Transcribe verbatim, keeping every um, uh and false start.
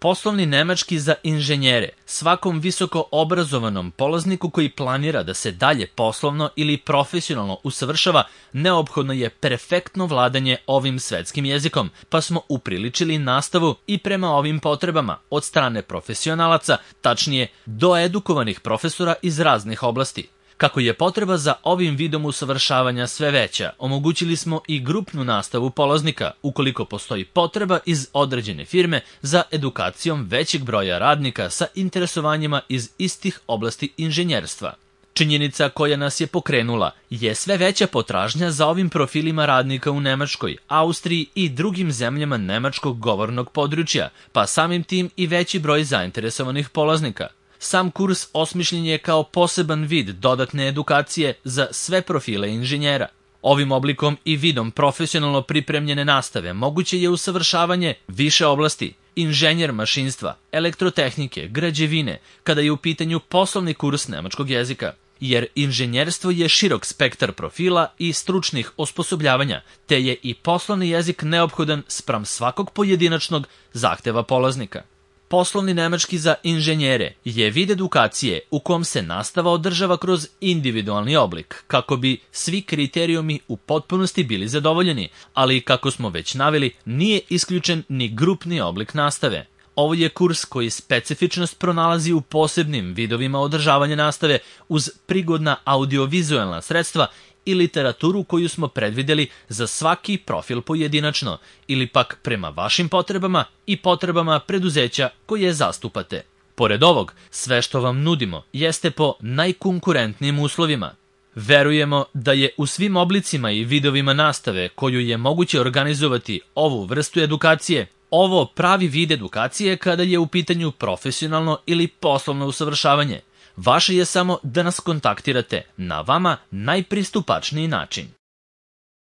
Poslovni nemački za inženjere. Svakom visoko obrazovanom polazniku koji planira da se dalje poslovno ili profesionalno usavršava, neophodno je perfektno vladanje ovim svetskim jezikom, pa smo upriličili nastavu i prema ovim potrebama od strane profesionalaca, tačnije doedukovanih profesora iz raznih oblasti. Kako je potreba za ovim vidom usavršavanja sve veća, omogućili smo i grupnu nastavu polaznika, ukoliko postoji potreba iz određene firme za edukacijom većeg broja radnika sa interesovanjima iz istih oblasti inženjerstva. Činjenica koja nas je pokrenula je sve veća potražnja za ovim profilima radnika u Nemačkoj, Austriji i drugim zemljama nemačkog govornog područja, pa samim tim i veći broj zainteresovanih polaznika. Sam kurs osmišljen je kao poseban vid dodatne edukacije za sve profile inženjera. Ovim oblikom i vidom profesionalno pripremljene nastave moguće je usavršavanje više oblasti, inženjer mašinstva, elektrotehnike, građevine, kada je u pitanju poslovni kurs nemačkog jezika. Jer inženjerstvo je širok spektar profila i stručnih osposobljavanja, te je i poslovni jezik neophodan spram svakog pojedinačnog zahteva polaznika. Poslovni nemački za inženjere je vid edukacije u kom se nastava održava kroz individualni oblik, kako bi svi kriterijumi u potpunosti bili zadovoljeni, ali kako smo već naveli, nije isključen ni grupni oblik nastave. Ovo je kurs koji specifičnost pronalazi u posebnim vidovima održavanja nastave uz prigodna audiovizualna sredstva i literaturu koju smo predvideli za svaki profil pojedinačno ili pak prema vašim potrebama i potrebama preduzeća koje zastupate. Pored ovog, sve što vam nudimo jeste po najkonkurentnijim uslovima. Verujemo da je u svim oblicima i vidovima nastave koju je moguće organizovati ovu vrstu edukacije, ovo pravi vid edukacije kada je u pitanju profesionalno ili poslovno usavršavanje. Vaše je samo da nas kontaktirate na vama najpristupačniji način.